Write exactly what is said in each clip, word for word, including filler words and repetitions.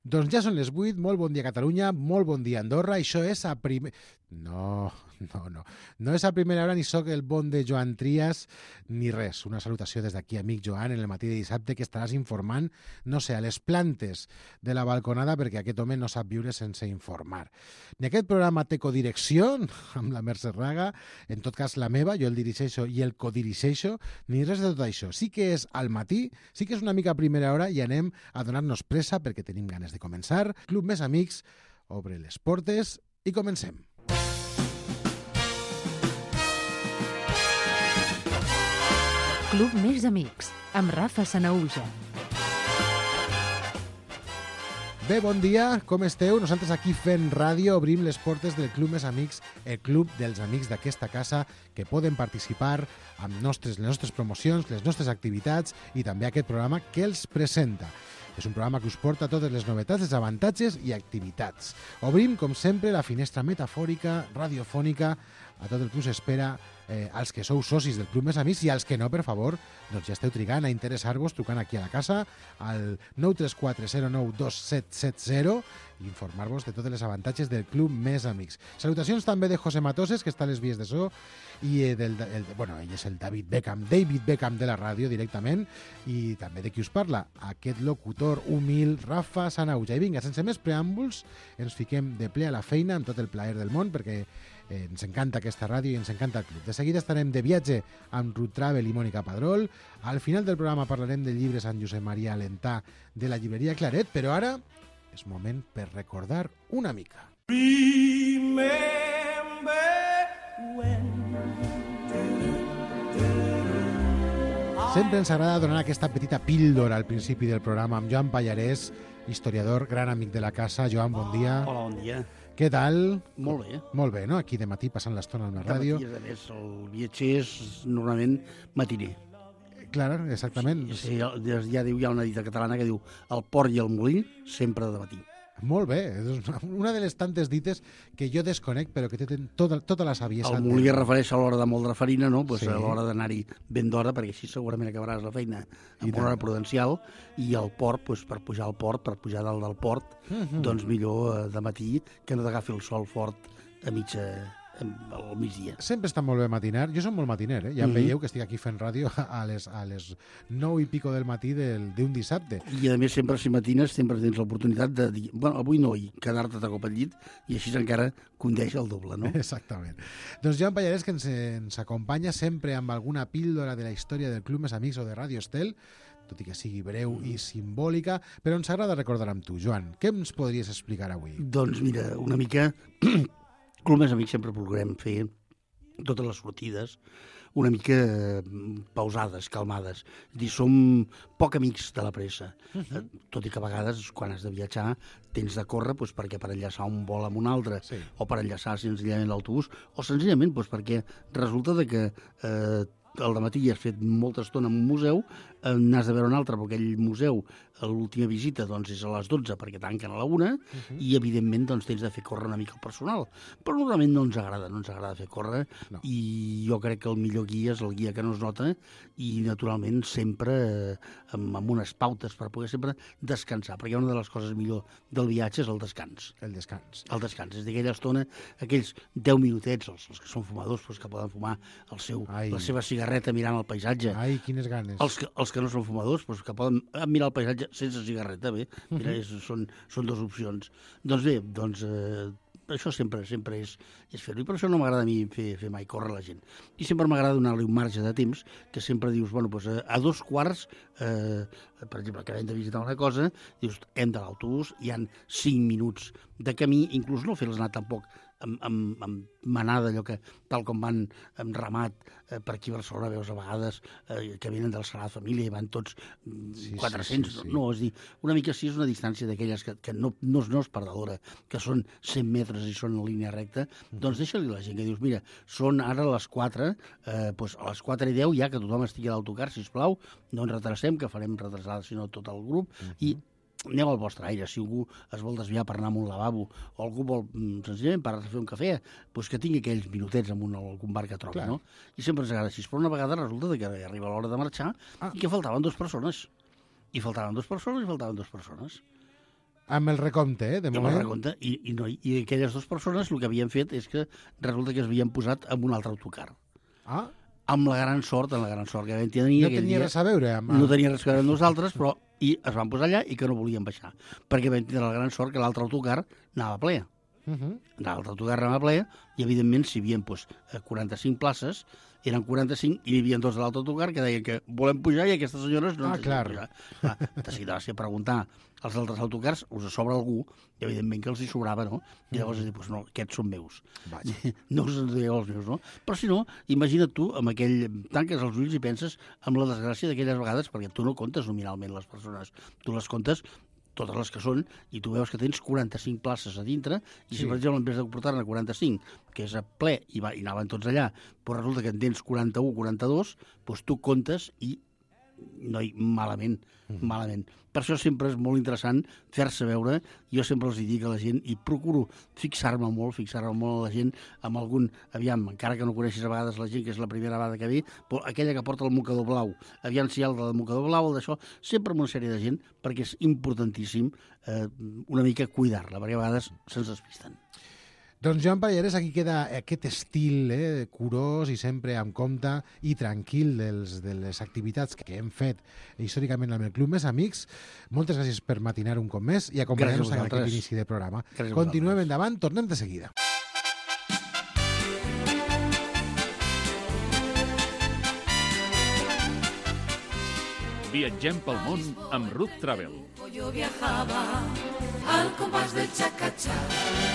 Doncs ja són les vuit, molt bon dia Catalunya, molt bon dia Andorra, això és a primer... No, no, no. No és a primera hora ni sóc el bon de Joan Trias ni res. Una salutació des d'aquí, amic Joan, en el matí de dissabte que estaràs informant, no sé, a les plantes de la balconada perquè aquest home no sap viure sense informar. Ni aquest programa té codirecció amb la Mercè Raga, en tot cas la meva, jo el dirigeixo i el codirigeixo, ni res de tot això. Sí que és al matí, sí que és una mica a primera hora i anem a donar-nos pressa perquè tenim ganes de començar. Club Més Amics obre les portes i comencem. Club Més Amics, amb Rafa Sanahuja. Bé, bon dia, com esteu? Nosaltres aquí fent ràdio obrim les portes del Club Més Amics, el club dels amics d'aquesta casa que poden participar amb nostres, les nostres promocions, les nostres activitats i també aquest programa que els presenta. És un programa que us porta totes les novetats, els avantatges i activitats. Obrim, com sempre, la finestra metafòrica, radiofònica, a tot el que us espera eh, als que sou socis del Club Més Amics i als que no, per favor, doncs ja esteu trigant a interessar-vos trucant aquí a la casa al nou tres quatre zero nou dos set set zero i informar-vos de totes les avantatges del Club Més Amics. Salutacions també de José Matoses, que està a les vies de so, i eh, del, el, bueno, ell és el David Beckham, David Beckham de la ràdio directament, i també de qui us parla, aquest locutor humil, Rafa Sanahuja. I vinga, sense més preàmbuls, ens fiquem de ple a la feina amb tot el plaer del món, perquè eh, ens encanta aquesta ràdio i ens encanta el club. De seguida estarem de viatge amb Ruth Travel i Mònica Padrol. Al final del programa parlarem del llibre Sant Josep Maria Alentà de la llibreria Claret, però ara és moment per recordar una mica. Remember when Sempre ens agrada donar aquesta petita píldora al principi del programa amb Joan Pallarès, historiador, gran amic de la casa. Joan, bon dia. Hola, bon dia. Què tal? Molt bé. Molt bé, no? Aquí de matí passant l'estona amb la De ràdio. matí, a més, el viatger és normalment matiner. Clar, exactament. Sí, ja, ja diu, hi ha una dita catalana que diu el port i el molí sempre de matí. Molt bé, és una de les tantes dites que jo desconec, però que tenen tota, tota la saviesa. El molí es refereix a l'hora de moldre farina, no? Pues Sí. a l'hora d'anar-hi ben d'hora, perquè així segurament acabaràs la feina I amb tant. una hora prudencial, i el port, pues, per pujar al port, per pujar dalt del port, Mhm. doncs millor eh, de matí que no t'agafi el sol fort a mitja, al migdia. Sempre està molt bé matinar. Jo soc molt matiner, eh? Ja em Mhm. veieu que estic aquí fent ràdio a les, a les nou i pico del matí del- d'un dissabte. I a més sempre si matines sempre tens l'oportunitat de dir, bueno, avui no, i quedar-te de cop al llit i així encara condeix el doble, no? Exactament. Doncs Joan Pallarès, que ens, ens acompanya sempre amb alguna píldora de la història del Club Més Amics o de Ràdio Estel, tot i que sigui breu i simbòlica, però ens agrada recordar amb tu. Joan, què ens podries explicar avui? Doncs mira, una mica, Club Més Amics sempre procurem fer totes les sortides una mica eh, pausades, calmades. És a dir, som poc amics de la pressa. Uh -huh. Tot i que a vegades, quan has de viatjar, tens de córrer doncs, perquè per enllaçar un vol amb un altre, Sí. o per enllaçar senzillament l'autobús, o senzillament doncs, perquè resulta de que eh, al dematí has fet molta estona en un museu, eh, n'has de veure un altre, perquè aquell museu, l'última visita doncs, és a les dotze perquè tanquen a la una, uh -huh. i evidentment doncs, tens de fer córrer una mica el personal. Però normalment no ens agrada, no ens agrada fer córrer, No. i jo crec que el millor guia és el guia que no es nota, i naturalment sempre eh, amb, amb unes pautes per poder sempre descansar, perquè una de les coses millor del viatge és el descans. El descans. El descans, és d'aquella estona, aquells deu minutets, els, els que són fumadors, doncs, que poden fumar el seu, Ai. la seva cigarreta mirant el paisatge. Ai, quines ganes. Els que, els que no són fumadors, doncs, que poden mirar el paisatge sense cigarreta, bé, mira, és, són, són dues opcions. Doncs bé, doncs, eh, això sempre sempre és, és fer-ho, i per això no m'agrada a mi fer, fer mai córrer la gent. I sempre m'agrada donar-li un marge de temps, que sempre dius, bueno, doncs, a, a dos quarts, eh, per exemple, que hem de visitar una cosa, dius, hem de l'autobús, hi han cinc minuts de camí, inclús no fer-les anar tampoc amb, amb, amb manada, allò que, tal com van amb ramat eh, per aquí a Barcelona, veus a vegades eh, que venen del Sagrada Família i van tots mm, Sí, quatre-cents, sí, sí, sí. no, és dir, una mica sí és una distància d'aquelles que, que no, no, no és perdedora, que són cent metres i són en línia recta, doncs deixa-li a la gent que dius, mira, són ara les quatre, eh, doncs a les quatre i deu ja que tothom estigui a l'autocar, sisplau, no ens retrasem, que farem retrasar, sinó tot el grup, uh -huh. i aneu al vostre aire. Si algú es vol desviar per anar a un lavabo o algú vol, mm, senzillament, parar a fer un cafè, doncs que tingui aquells minutets en un, algun bar que trobi, Clar. no? I sempre ens agrada així. Però una vegada resulta que arriba l'hora de marxar Ah. i que faltaven dues persones. I faltaven dues persones i faltaven dues persones. Amb el recompte, eh, de Amb moment. el recompte. I, i, no, I aquelles dues persones el que havien fet és que resulta que es havien posat amb un altre autocar. Ah, Amb la gran sort, amb la gran sort que vam tenir no aquell tenia dia. res a veure amb... No tenia res a veure amb nosaltres, però i es van posar allà i que no volien baixar. Perquè vam tenir la gran sort que l'altre autocar anava ple. Uh -huh. L'altre autocar anava ple i, evidentment, si hi havia doncs, quaranta-cinc places, eren quaranta-cinc i hi havia dos de l'altre autocar que deien que volem pujar i aquestes senyores no Ah, ens clar. pujar. Clar, de seguida va ser preguntar als altres autocars, us sobra algú? I, evidentment, que els hi sobrava, no? I llavors, mm. doncs, no, aquests són meus. Vaja. No us en dèieu els meus, no? Però, si no, imagina't tu, amb aquell... tanques els ulls i penses en la desgràcia d'aquelles vegades, perquè tu no comptes nominalment les persones, tu les comptes totes les que són, i tu veus que tens quaranta-cinc places a dintre, i si, Sí. per exemple, en vez de portar-ne quaranta-cinc, que és a ple, i, va, i anaven tots allà, però resulta que en tens quaranta-u, quaranta-dos, doncs tu comptes i no hi, malament, mm. malament. Per això sempre és molt interessant fer-se veure. Jo sempre els dic a la gent, i procuro fixar-me molt, fixar-me molt a la gent, amb algun, aviam, encara que no coneixis a vegades la gent, que és la primera vegada que ve, però aquella que porta el mocador blau, aviam si hi ha el del mocador blau, el d'això, sempre amb una sèrie de gent, perquè és importantíssim eh, una mica cuidar-la, perquè a vegades se'ns despisten. Doncs Joan Pallarès, aquí queda aquest estil eh, curós i sempre amb compte i tranquil dels, de les activitats que hem fet històricament amb el Club Més Amics. Moltes gràcies per matinar un cop més i acompanyar-nos en aquest inici de programa. Gràcies a Continuem vosaltres. endavant, tornem de seguida. Viatgem pel món amb Ruth Travel. Yo viajaba al compás del chacachá,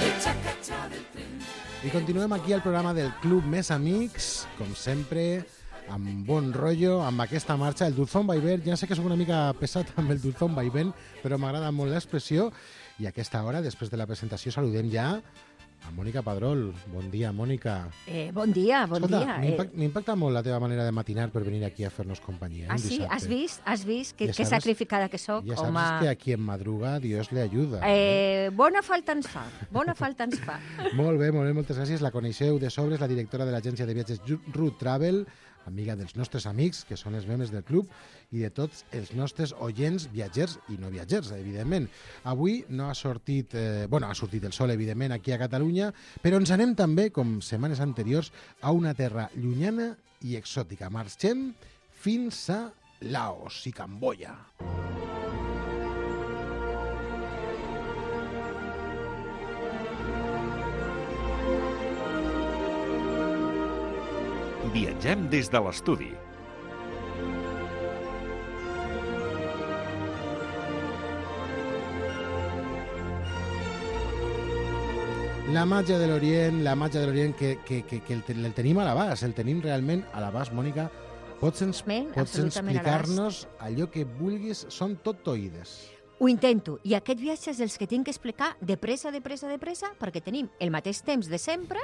del chacachá del tren. I continuem aquí al programa del Club Més Amics, com sempre, amb bon rotllo, amb aquesta marxa, el Dulzón Vaivén. Ja sé que sóc una mica pesat amb el Dulzón Vaivén, però m'agrada molt l'expressió. I a aquesta hora, després de la presentació, saludem ja a Mònica Padrol. Bon dia, Mònica. Eh, bon dia, bon Escolta, dia. m'impact- m'impacta molt la teva manera de matinar per venir aquí a fer-nos companyia. eh, Ah, un sí? dissabte. Has vist? Has vist? Que, Ja que sabes- sacrificada que sóc, Ja saps home. que a qui en madruga Dios le ayuda. Eh? Eh, bona falta ens fa, bona falta ens fa. Molt bé, molt bé, moltes gràcies. La coneixeu de sobres, la directora de l'agència de viatges Ruth Travel, amiga dels nostres amics, que són els membres del club, i de tots els nostres oients, viatgers i no viatgers, evidentment. Avui no ha sortit, eh, bueno, ha sortit el sol, evidentment, aquí a Catalunya, però ens anem també, com setmanes anteriors, a una terra llunyana i exòtica. Marxem fins a Laos i Camboya. Viatgem des de l'estudi. La màgia de l'Orient, la màgia de l'Orient que, que, que, que el, ten- el tenim a l'abast, el tenim realment a l'abast, Mònica. Pots, ens, Men, pots absolutament a explicar-nos allò que vulguis, són tot oïdes. Ho intento, i aquest viatge és els que tinc que explicar de pressa, de pressa, de pressa, perquè tenim el mateix temps de sempre,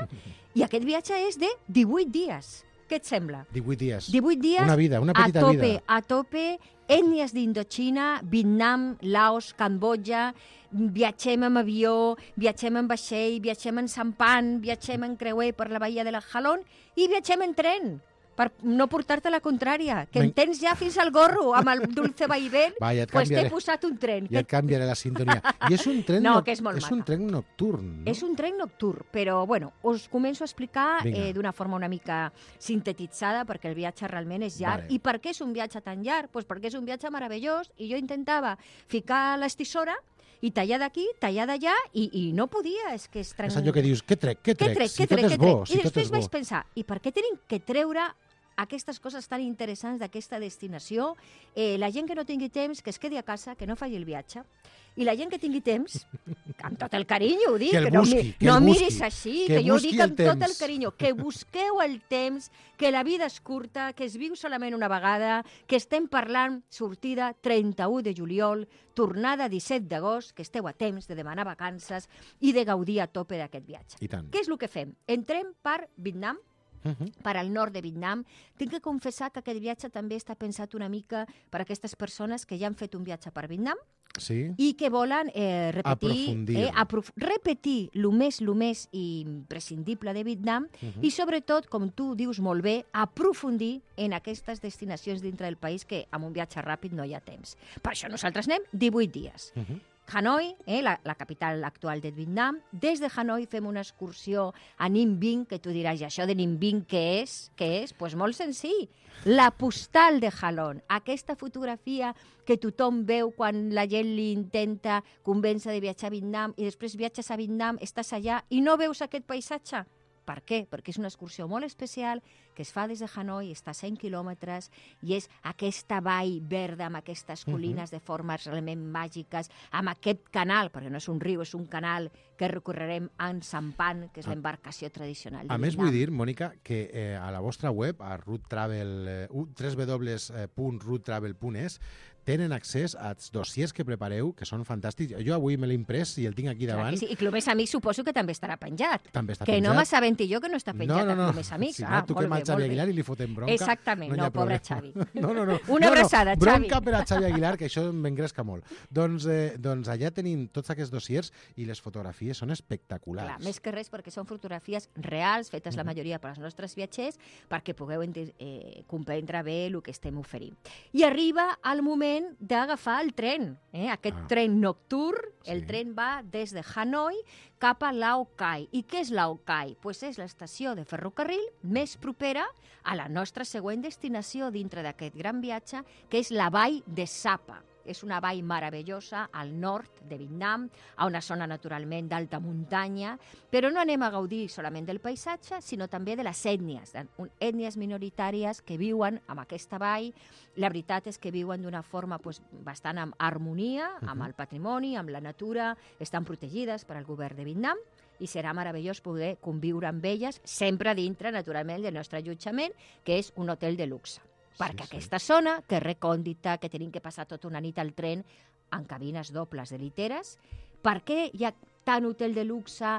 i aquest viatge és de divuit dies. Què et sembla? divuit dies. divuit dies Una vida, una a petita tope, vida. a tope, ètnies d'Indochina, Vietnam, Laos, Cambodja, viatgem amb avió, viatgem en vaixell, viatgem en sampan, viatgem en creuer per la bahia de la Jalón i viatgem en tren, per no portar-te la contrària, que Men- en tens ja fins al gorro amb el Dulce Vaivén, Va, ja et pues t'he canviaré. posat un tren. Ja et canviaré la sintonia. I és un tren, No, noc- que és molt és un maca. tren nocturn, no? És un tren nocturn, però bueno, us començo a explicar Vinga. eh, d'una forma una mica sintetitzada, perquè el viatge realment és llarg. Vale. I per què és un viatge tan llarg? Pues perquè és un viatge meravellós i jo intentava ficar l'estisora i tallar d'aquí, tallar d'allà, i, i no podia, és que és tren... És allò que dius, què trec, què Què trec, trec, si què tot trec, és què bo, trec? si I tot després és vaig bo. pensar, i per què tenim que treure aquestes coses tan interessants d'aquesta destinació? Eh, la gent que no tingui temps, que es quedi a casa, que no faci el viatge. I la gent que tingui temps, amb tot el carinyo ho dic, Que el no, busqui, mi- que no el miris busqui, així, que que, jo ho busqui dic el amb tot el temps. carinyo, que busqueu el temps, que la vida és curta, que es viu solament una vegada, que estem parlant sortida trenta-u de juliol, tornada disset d'agost, que esteu a temps de demanar vacances i de gaudir a tope d'aquest viatge. I tant. Què és el que fem? Entrem per Vietnam, Uh -huh. per al nord de Vietnam. Tinc que confessar que aquest viatge també està pensat una mica per a aquestes persones que ja han fet un viatge per Vietnam Sí? i que volen eh, repetir, Aprofundir. eh, aprof repetir el més, el més imprescindible de Vietnam Uh -huh. i sobretot, com tu dius molt bé, aprofundir en aquestes destinacions dintre del país que amb un viatge ràpid no hi ha temps. Per això nosaltres anem divuit dies. Uh -huh. Hanoi, eh, la, la capital actual de Vietnam. Des de Hanoi fem una excursió a Ninh Binh, que tu diràs, i això de Ninh Binh què és? Què és? Doncs pues molt senzill. La postal de Halon, aquesta fotografia que tothom veu quan la gent li intenta convèncer de viatjar a Vietnam i després viatges a Vietnam, estàs allà i no veus aquest paisatge. Per què? Perquè és una excursió molt especial que es fa des de Hanoi, està a cent quilòmetres, i és aquesta vall verda amb aquestes colines uh-huh. de formes realment màgiques, amb aquest canal, perquè no és un riu, és un canal que recorrerem en sampan, que és ah. l'embarcació tradicional de A més, Vietnam. vull dir, Mònica, que eh, a la vostra web, a Root Travel, eh, w w w punt root travel punt e s, tenen accés als dossiers que prepareu, que són fantàstics. Jo avui me l'he imprès i el tinc aquí davant. Clar, sí. I Club Més Amics suposo que també estarà penjat. També està que penjat. no m'assabenti jo que no està penjat no, no, no. a Club Més Amics. Si ah, no, toquem molt al bé, Xavi molt bé. Aguilar i li fotem bronca. Exactament, no, no, no pobre problema. Xavi. No, no, no. Una no, abraçada, no. Xavi. Bronca per a Xavi Aguilar, que això m'engresca molt. Doncs, eh, doncs allà tenim tots aquests dossiers i les fotografies són espectaculars. Clar, més que res perquè són fotografies reals, fetes la majoria per als nostres viatgers, perquè pugueu eh, comprendre bé el que estem oferint. I arriba el moment d'agafar el tren, eh? aquest ah. tren nocturn, sí. El tren va des de Hanoi cap a Lao Cai. I què és Lao Cai? Pues és l'estació de ferrocarril més propera a la nostra següent destinació dintre d'aquest gran viatge, que és la vall de Sapa. És una vall meravellosa al nord de Vietnam, a una zona naturalment d'alta muntanya, però no anem a gaudir solament del paisatge, sinó també de les ètnies, ètnies minoritàries que viuen en aquesta vall. La veritat és que viuen d'una forma pues, bastant en harmonia amb el patrimoni, amb la natura, estan protegides per al govern de Vietnam, i serà meravellós poder conviure amb elles, sempre dintre, naturalment, del nostre allotjament, que és un hotel de luxe. Perquè sí, aquesta sí. zona, que és recòndita, que tenim que passar tota una nit al tren en cabines dobles de literes, per què hi ha tant hotel de luxe,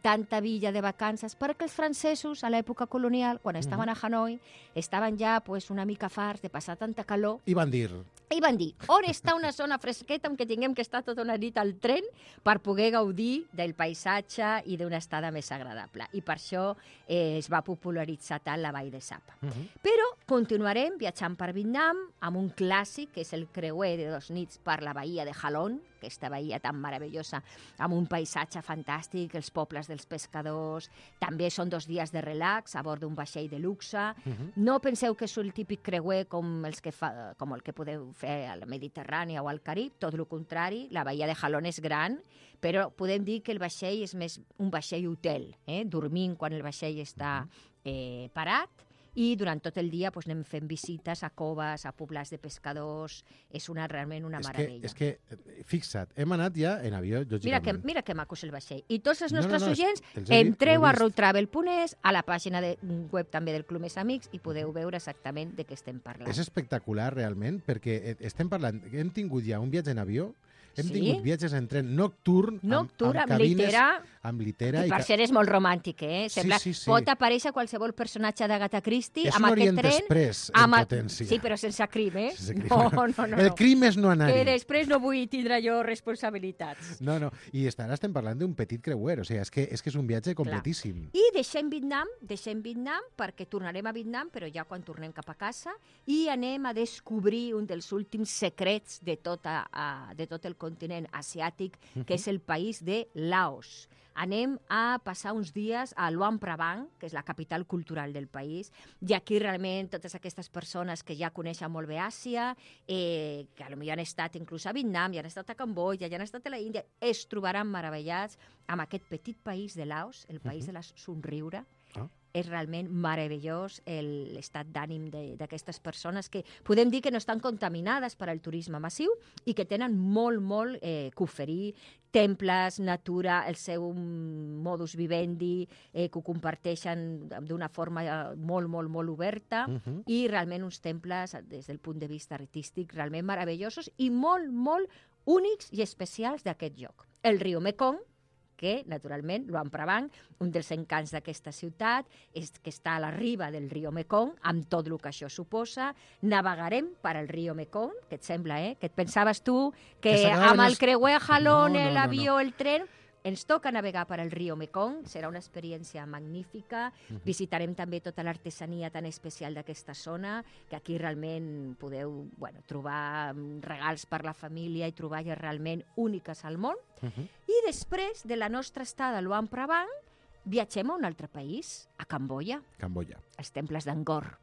tanta villa de vacances? Perquè els francesos, a l'època colonial, quan estaven a Hanoi, estaven ja pues, una mica farts de passar tanta calor. I van dir... I van dir, on està una zona fresqueta en què tinguem que estar tota una nit al tren per poder gaudir del paisatge i d'una estada més agradable. I per això eh, es va popularitzar tant la vall de Sapa. Uh -huh. Però continuarem viatjant per Vietnam amb un clàssic, que és el creuer de dos nits per la bahia de Halong, aquesta bahia tan meravellosa, amb un paisatge fantàstic, els pobles dels pescadors. També són dos dies de relax a bord d'un vaixell de luxe. Uh -huh. No penseu que és el típic creuer com, els que fa, com el que podeu fer a la Mediterrània o al Carib, tot el contrari. La bahia de Halong és gran, però podem dir que el vaixell és més un vaixell hotel, eh? dormint quan el vaixell està eh, parat, i durant tot el dia pues, anem fent visites a coves, a poblats de pescadors. És una, realment una és meravella. Que, és que, fixa't, hem anat ja en avió, lògicament. Mira que, mira que maco és el vaixell. I tots els nostres no, no, no, oients, entreu a road travel punt e s, a la pàgina de web també del Club Més Amics, i podeu veure exactament de què estem parlant. És espectacular, realment, perquè estem parlant... Hem tingut ja un viatge en avió, hem sí? tingut viatges en tren nocturn, nocturn amb, amb, amb cabines, litera, amb litera. I per ser és molt romàntic, eh? Sembla, sí, sí, sí. Pot aparèixer qualsevol personatge d'Agatha Christie és amb un aquest Orient tren. Express, amb en a... potència. Sí, però sense crim, eh? Sense crim. No, no, no. El no. crim és no anar-hi. Que després no vull tindre jo responsabilitats. No, no. I ara estem parlant d'un petit creuer, o sigui, és que és, que és un viatge completíssim. Clar. I deixem Vietnam, deixem Vietnam, perquè tornarem a Vietnam, però ja quan tornem cap a casa, i anem a descobrir un dels últims secrets de, tota, uh, de tot el continent asiàtic, uh-huh. que és el país de Laos. Anem a passar uns dies a Luang Prabang, que és la capital cultural del país, i aquí realment totes aquestes persones que ja coneixen molt bé Àsia, eh, que potser han estat inclús a Vietnam, ja han estat a Cambodja, ja han estat a la Índia, es trobaran meravellats amb aquest petit país de Laos, el país uh-huh. de la somriure. Ah. És realment meravellós l'estat d'ànim d'aquestes persones que podem dir que no estan contaminades per al turisme massiu i que tenen molt, molt eh, que oferir, temples, natura, el seu modus vivendi, eh, que ho comparteixen d'una forma molt, molt, molt oberta, uh-huh. i realment uns temples, des del punt de vista artístic, realment meravellosos i molt, molt únics i especials d'aquest lloc. El riu Mekong, que, naturalment, Luang Prabang, un dels encants d'aquesta ciutat, és que està a la riba del riu Mekong, amb tot el que això suposa. Navegarem per al riu Mekong, que et sembla, eh? Que et pensaves tu que, que amb el creuer a Halong, no, no, l'avió, no, no. el tren... ens toca navegar per el riu Mekong, serà una experiència magnífica. Uh-huh. Visitarem també tota l'artesania tan especial d'aquesta zona, que aquí realment podeu bueno, trobar regals per la família i troballes realment úniques al món. Uh-huh. I després de la nostra estada a Luang Prabang, viatgem a un altre país, a Camboya. Camboya. Els temples d'Angkor.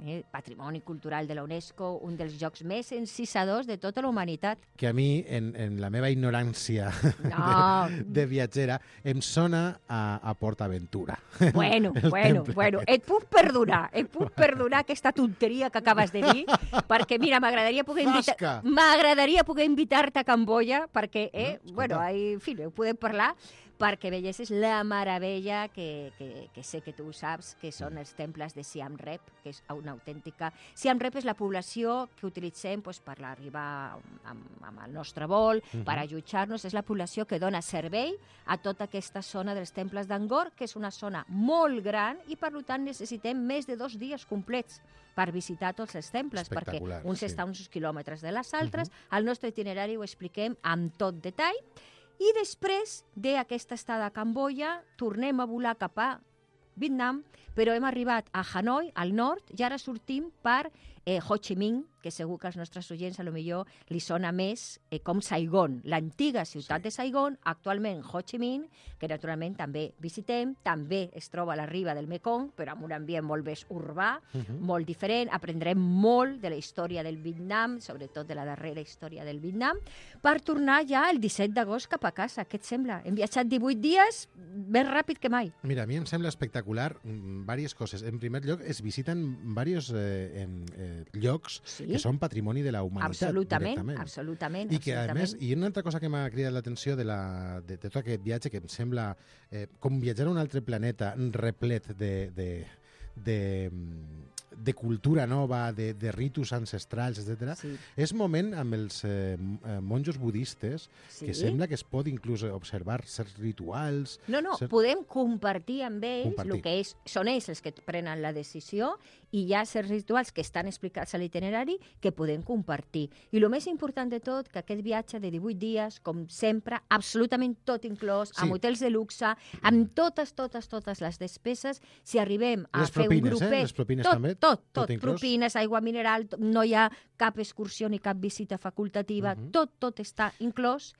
Eh, patrimoni cultural de la UNESCO, un dels llocs més encisadors de tota la humanitat. Que a mi, en, en la meva ignorància no. de, de viatgera, em sona a, a PortAventura. Bueno, bueno, bueno, et puc perdonar, et puc perdonar aquesta tonteria que acabes de dir, perquè, mira, m'agradaria poder invitar... M'agradaria poder invitar-te a Camboya, perquè, eh, mm, bueno, ahí, en fi, ho podem parlar, perquè veiessis la meravella que, que, que sé que tu saps, que són els temples de Siam Reap, que és una autèntica... Siam Reap és la població que utilitzem pues, per arribar amb, amb el nostre vol, uh-huh. per allotjar-nos. És la població que dona servei a tota aquesta zona dels temples d'Angkor, que és una zona molt gran i, per tant, necessitem més de dos dies complets per visitar tots els temples, perquè uns sí. estan uns quilòmetres de les altres. Uh-huh. Al nostre itinerari ho expliquem amb tot detall. I després d'aquesta estada a Camboya, tornem a volar cap a Vietnam, però hem arribat a Hanoi, al nord, i ara sortim per eh, Ho Chi Minh, que segur que als nostres oients a lo millor li sona més eh, com Saigon, l'antiga ciutat sí. de Saigon, actualment Ho Chi Minh, que naturalment també visitem, també es troba a la riba del Mekong, però amb un ambient molt més urbà, uh-huh. molt diferent, aprendrem molt de la història del Vietnam, sobretot de la darrera història del Vietnam, per tornar ja el disset d'agost cap a casa. Què et sembla? Hem viatjat divuit dies, més ràpid que mai. Mira, a mi em sembla espectacular diverses coses. En primer lloc, es visiten diversos eh, eh, llocs sí? que són patrimoni de la humanitat. Absolutament, directament. absolutament. I que, absolutament. a més, i una altra cosa que m'ha cridat l'atenció de, la, de, de tot aquest viatge, que em sembla eh, com viatjar a un altre planeta replet de, de, de, de cultura nova, de, de ritus ancestrals, etcètera. Sí. És moment amb els eh, monjos budistes sí? que sembla que es pot inclús observar certs rituals... No, no, cert... podem compartir amb ells compartir. el que és, són ells els que prenen la decisió i hi ha certs rituals que estan explicats a l'itinerari que podem compartir. I el més important de tot, que aquest viatge de divuit dies, com sempre, absolutament tot inclòs, sí. amb hotels de luxe, amb totes, totes, totes les despeses, si arribem a les fer propines, un grupet... Eh? Les propines tot, també? Tot, tot, tot, tot propines, aigua mineral, no hi ha cap excursió ni cap visita facultativa, uh-huh. tot, tot està inclòs.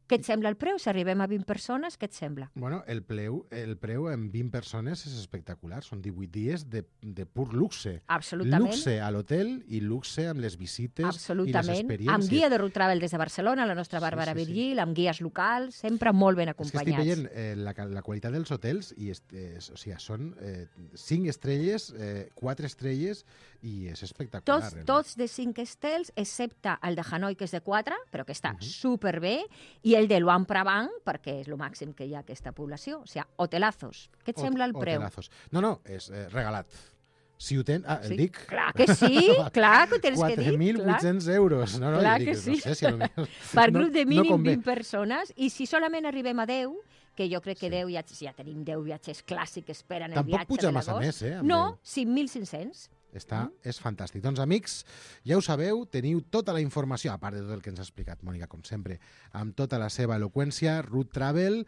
Què et sembla el preu? Si arribem a vint persones, què et sembla? Bueno, el preu, el preu en vint persones és espectacular. Són divuit dies de, de pur luxe. Absolutament. Luxe a l'hotel i luxe amb les visites i les experiències. Amb guia de Road Travel des de Barcelona, la nostra Bàrbara sí, sí, Virgil, sí. amb guies locals, sempre molt ben acompanyats. És que estic veient eh, la, la qualitat dels hotels i es, es, o sigui, són eh, cinc estrelles, eh, quatre estrelles i és espectacular. Tots, tots de cinc estels, excepte el de Hanoi, que és de quatre, però que està uh-huh. superbé, i el de Luang Prabang, perquè és el màxim que hi ha a aquesta població. O sigui, hotelazos. Què et Hot, sembla el preu? Hotelazos. No, no, és eh, regalat. Si ho tens... Ah, el sí, dic... Clar que sí, clar que ho tens que dir. quatre mil vuit-cents euros. No, no, clar dic, que sí. No sé si potser... Per grup de mínim no, no vint persones, i si solament arribem a deu, que jo crec que sí. deu viatges, ja tenim deu viatges clàssics que esperen el Tampoc viatge puja de massa l'agost. més, eh? No, deu. cinc mil cinc-cents. Està, mm. És fantàstic. Doncs, amics, ja ho sabeu, teniu tota la informació, a part de tot el que ens ha explicat Mònica, com sempre, amb tota la seva eloqüència. Road Travel,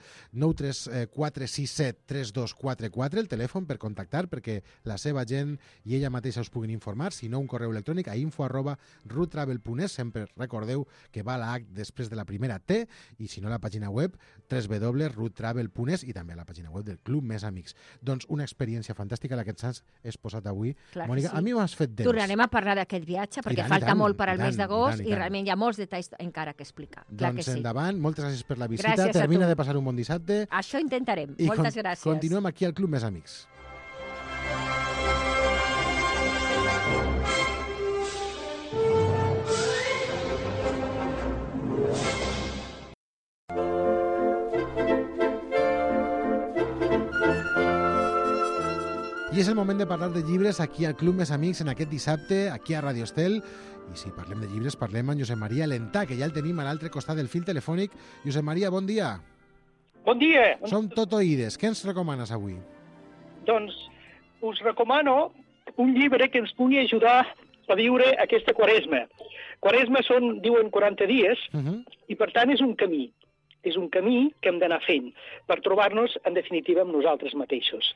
nou tres quatre sis set tres dos quatre quatre, el telèfon per contactar, perquè la seva gent i ella mateixa us puguin informar, si no un correu electrònic a info arroba roadtravel punt es. Sempre recordeu que va la H després de la primera T, i si no la pàgina web w w w punt roadtravel punt es, i també la pàgina web del Club Més Amics. Doncs una experiència fantàstica la que ens has exposat avui. Clar Mònica, sí. a mi m'has fet temps. Tornarem a parlar d'aquest viatge, perquè tant, falta tant, molt per al tant, mes d'agost i, i, i realment hi ha molts detalls encara que explicar. Clar doncs que sí. endavant, moltes gràcies per la visita. Gràcies Termina de passar un bon dissabte. Això intentarem. I Moltes con gràcies. Continuem aquí al Club Més Amics. I és el moment de parlar de llibres aquí al Club Més Amics en aquest dissabte, aquí a Radio Estel. I si parlem de llibres, parlem amb Josep Maria Lentà, que ja el tenim a l'altre costat del fil telefònic. Josep Maria, bon dia. Bon dia. Som tot oïdes. Què ens recomanes avui? Doncs us recomano un llibre que ens pugui ajudar a viure aquesta quaresma. Quaresma són, diuen, quaranta dies, uh-huh. i per tant és un camí. és un camí que hem d'anar fent per trobar-nos, en definitiva, amb nosaltres mateixos.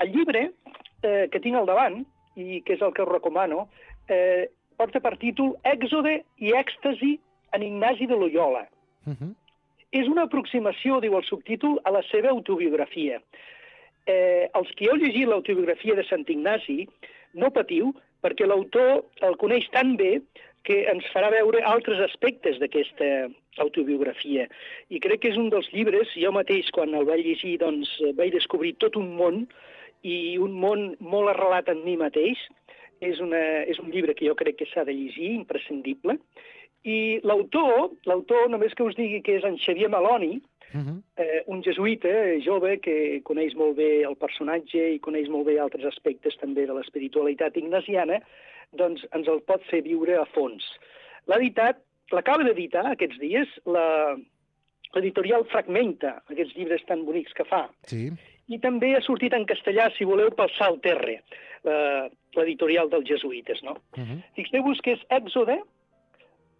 El llibre eh, que tinc al davant, i que és el que us recomano, eh, porta per títol Èxode i èxtasi en Ignasi de Loyola. Uh -huh. És una aproximació, diu el subtítol, a la seva autobiografia. Eh, els que heu llegit l'autobiografia de Sant Ignasi, no patiu, perquè l'autor el coneix tan bé que ens farà veure altres aspectes d'aquesta autobiografia. I crec que és un dels llibres, jo mateix, quan el vaig llegir, doncs, vaig descobrir tot un món, i un món molt arrelat en mi mateix. És, una, és un llibre que jo crec que s'ha de llegir, imprescindible. I l'autor, l'autor, només que us digui que és en Xavier Maloni, uh -huh. eh, un jesuïta jove que coneix molt bé el personatge i coneix molt bé altres aspectes també de l'espiritualitat ignasiana, doncs ens el pot fer viure a fons. L'ha editat, l'acaba d'editar aquests dies, la, l'editorial Fragmenta, aquests llibres tan bonics que fa. Sí. I també ha sortit en castellà, si voleu, pel Salt Terre, l'editorial dels jesuïtes, no? Uh -huh. Fixeu-vos que és èxode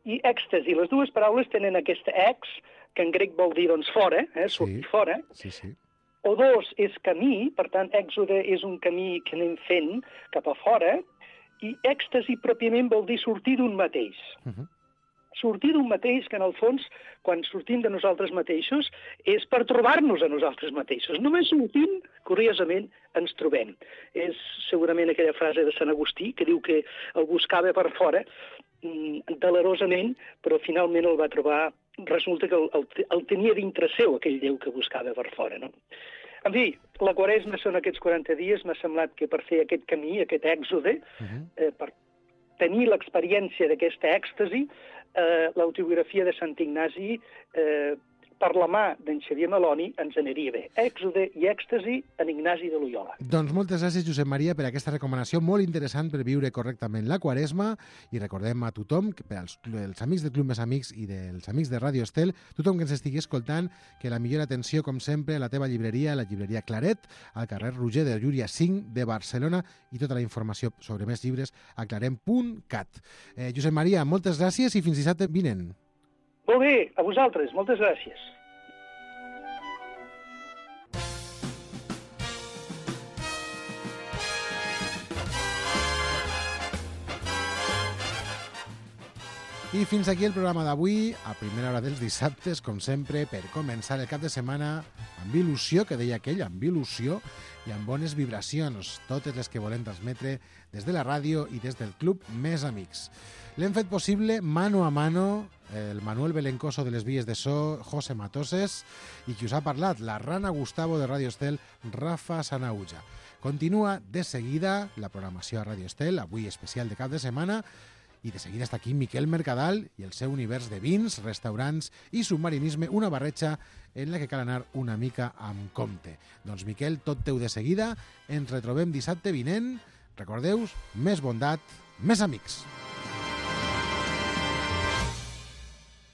i èxtasi. Les dues paraules tenen aquesta ex, que en grec vol dir, doncs, fora, eh, sortir sí. fora. Sí, sí. O dos és camí, per tant, èxode és un camí que anem fent cap a fora, i èxtasi pròpiament vol dir sortir d'un mateix. Uh -huh. Sortir d'un mateix que, en el fons, quan sortim de nosaltres mateixos, és per trobar-nos a nosaltres mateixos. Només sortint, curiosament, ens trobem. És segurament aquella frase de Sant Agustí, que diu que el buscava per fora, delerosament, però finalment el va trobar. Resulta que el, el, el tenia dintre seu, aquell Déu que buscava per fora, no? En fi, la Quaresma són aquests quaranta dies. M'ha semblat que per fer aquest camí, aquest èxode, uh -huh. eh, per tenir l'experiència d'aquesta èxtasi, eh, l'autobiografia de Sant Ignasi, eh, per la mà d'en Xavier Maloni, ens aniria bé. Èxode i èxtasi en Ignasi de Loyola. Doncs moltes gràcies, Josep Maria, per aquesta recomanació molt interessant per viure correctament la Quaresma, i recordem a tothom, per als, els amics del Club Més Amics i dels amics de Ràdio Estel, tothom que ens estigui escoltant, que la millor atenció, com sempre, a la teva llibreria, la llibreria Claret, al carrer Roger de Llúria cinc de Barcelona, i tota la informació sobre més llibres a clarem punt cat. Eh, Josep Maria, moltes gràcies i fins dissabte vinent. Molt bé, a vosaltres, moltes gràcies. I fins aquí el programa d'avui, a primera hora dels dissabtes, com sempre, per començar el cap de setmana amb il·lusió, que deia aquell, amb il·lusió i amb bones vibracions, totes les que volem transmetre des de la ràdio i des del Club Més Amics. L'hem fet possible mano a mano el Manuel Belencoso de les vies de so, José Matoses, i qui us ha parlat, la Rana Gustavo de Ràdio Estel, Rafa Sanauja. Continua de seguida la programació a Ràdio Estel, avui especial de cap de setmana, i de seguida està aquí Miquel Mercadal i el seu univers de vins, restaurants i submarinisme, una barreja en la que cal anar una mica amb compte. Doncs Miquel, tot teu de seguida, ens retrobem dissabte vinent. Recordeu, més bondat, més amics.